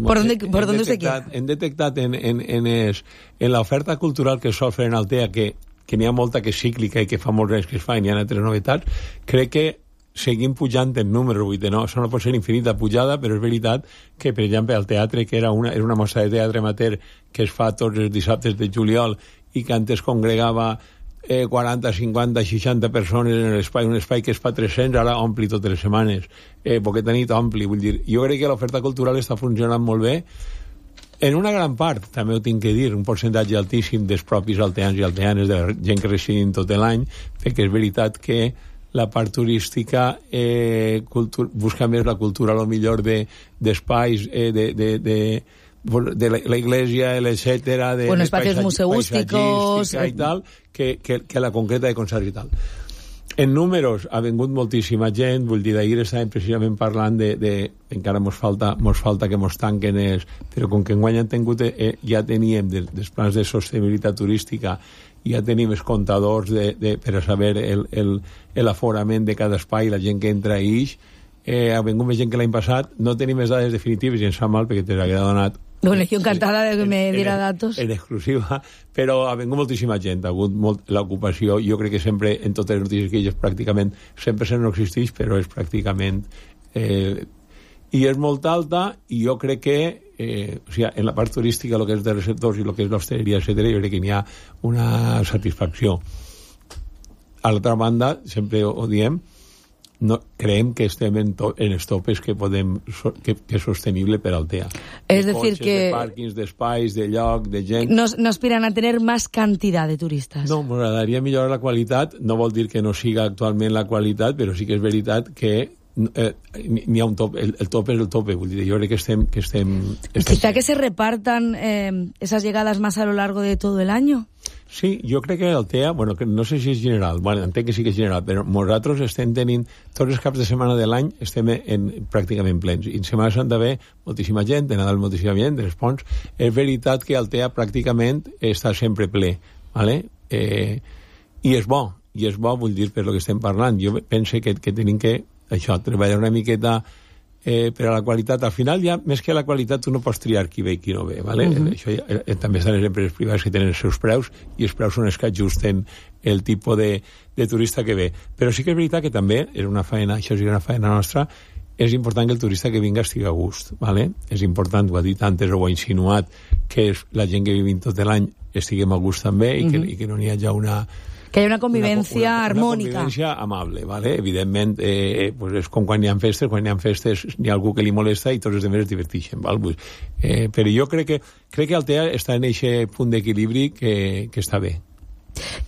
¿Por dónde usted quiere? Hem detectat en l'oferta cultural que es sol fer en Altea, que n'hi ha molta que és cíclica i que fa molts anys que es fa i n'hi ha altres novetats, crec que seguim pujant en número, vull dir, no, això no pot ser infinita pujada, però és veritat que, per exemple, el teatre, que era una mostra de teatre amateur que es fa tots els dissabtes de juliol i que antes congregava 40, 50, 60 persones en l'espai, un espai que es fa 300, ara ompli totes les setmanes, poqueta nit ompli, vull dir, jo crec que l'oferta cultural està funcionant molt bé, en una gran part, també ho tinc que dir, un percentatge altíssim dels propis alteans i alteanes, de la gent que residin tot l'any, perquè és veritat que la part turística busca més la cultura, a lo millor d'espais, de la iglesia, etcétera, de espacios museísticos y tal, que la concreta de concerts i tal. En números ha vengut moltíssima gent, vull dir, d'ahir estàvem precisament parlant encara mos falta que mos tanquen però com que enguany han tingut, ja teníem dels plans de sostenibilitat turística, ja tenim els comptadors per a saber l'aforament de cada espai, la gent que entra i ix, ha vengut més gent que l'any passat, no tenim les dades definitives i ens sap mal perquè te l'hagué donat. Bueno, yo encantada de que me diera datos. En exclusiva, però ha vengut moltíssima gent, ha hagut l'ocupació, jo crec que sempre, en totes les notícies que hi és pràcticament, 100% no existeix, però és pràcticament... I és molt alta, i jo crec que o sigui, en la part turística, el que és de receptors i el que és l'hostaleria, etcètera, jo crec que n'hi ha una satisfacció. A l'altra banda, sempre ho diem, no, creiem que estem en els topes que és sostenible per Altea. Es decir, que... De pàrquings, d'espais, de lloc, de gent... No aspiran a tener más cantidad de turistas. No, m'agradaria millorar la qualitat. No vol dir que no siga actualment la qualitat, però sí que és veritat que n'hi ha un top, el top és el tope, vull dir, jo crec que estem quizá que se repartan esas llegadas más a lo largo de todo el año. Sí, jo crec que Altea, bueno, que no sé si és general, bueno, entenc que sí que és general, però nosaltres estem tenint, tots els caps de setmana de l'any estem pràcticament plens, i en Setmana Santa ve moltíssima gent, de Nadal moltíssima gent, de les Ponts, és veritat que Altea pràcticament està sempre ple, ¿vale? I és bo, vull dir, per lo que estem parlant, jo penso que tenim que això, treballar una miqueta per a la qualitat. Al final, ja, més que la qualitat, tu no pots triar qui ve i qui no ve, ¿vale? Això també estan les empreses privades que tenen els seus preus, i els preus són els que ajusten el tipus de turista que ve. Però sí que és veritat que també és una feina, això és una feina nostra, és important que el turista que vinga estigui a gust, ¿vale? És important, ho ha dit antes, o ho ha insinuat, que la gent que vivim tot l'any estiguem a gust també, i que no n'hi hagi que hi ha una convivència harmònica. Una convivència amable, ¿vale? Evidentment, pues és com quan hi ha festes, n'hi ha algú que li molesta i tots els altres es diverteixen, ¿val? Pues, però jo crec que Altea està en aquest punt d'equilibri que està bé.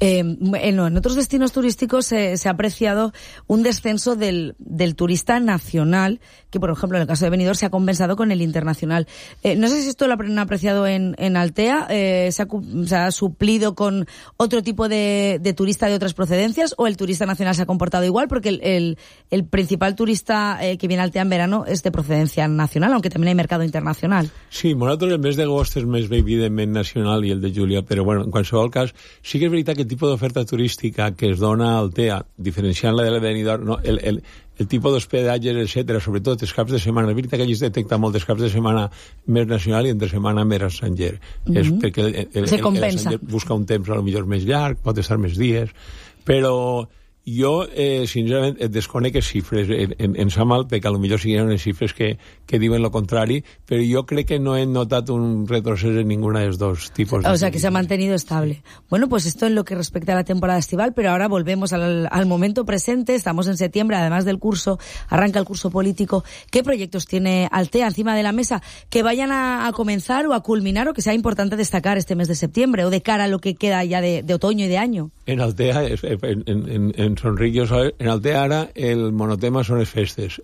En otros destinos turísticos se ha apreciado un descenso del turista nacional, que por ejemplo en el caso de Benidorm se ha compensado con el internacional. No sé si esto lo han apreciado en Altea, se ha suplido con otro tipo de turista de otras procedencias, o el turista nacional se ha comportado igual, porque el principal turista que viene a Altea en verano es de procedencia nacional, aunque también hay mercado internacional. Sí, nosaltres el mes d'agost és més evidentment nacional i el de juliol, però bueno, en qualsevol cas sí que és veritat que el tipus d'oferta turística que es dona a Altea, diferenciant-la de la Benidorm, no, el tipus d'hospedatges, etcètera, sobretot els caps de setmana, és veritat que allí es detecta molt els caps de setmana més nacional i entre setmana més estranger. És perquè el busca un temps a lo millor més llarg, pot estar més dies, però jo, sincerament, desconec les xifres. Em sap mal, perquè potser siguin unes xifres que diuen lo contrari, però jo crec que no he notat un retrocés en ninguna de los dos tipos. O sea, que se ha mantenido estable. Bueno, pues esto en lo que respecta a la temporada estival, pero ahora volvemos al momento presente. Estamos en septiembre, además del curso, arranca el curso político. ¿Qué proyectos tiene Altea encima de la mesa que vayan a comenzar o a culminar, o que sea importante destacar este mes de septiembre, o de cara a lo que queda ya de otoño y de año? En Altea, en Sonric, en Altea ara el monotema són les festes.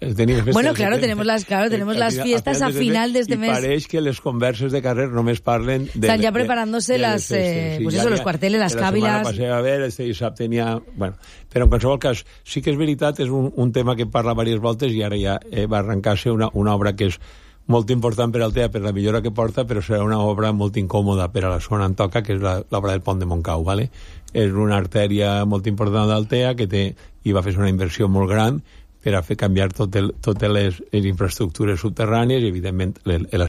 Bueno, claro, tenemos las fiestas a final de este mes. I pareix que les converses de carrer només parlen de... Están ya preparándose las, pues eso, los cuarteles, las cávilas... La setmana passada, a veure, este dissabte n'hi ha... Bueno, però en qualsevol cas, sí que és veritat, és un tema que parla diverses voltes, i ara ja va arrencar-se una obra que és molt important per Altea, per la millora que porta, però serà una obra molt incòmoda per a la zona on toca, que és l'obra del pont de Montcau, ¿vale? És una artèria molt important d'Altea i va fer una inversió molt gran per a fer canviar totes les infraestructures subterrànies i, evidentment, la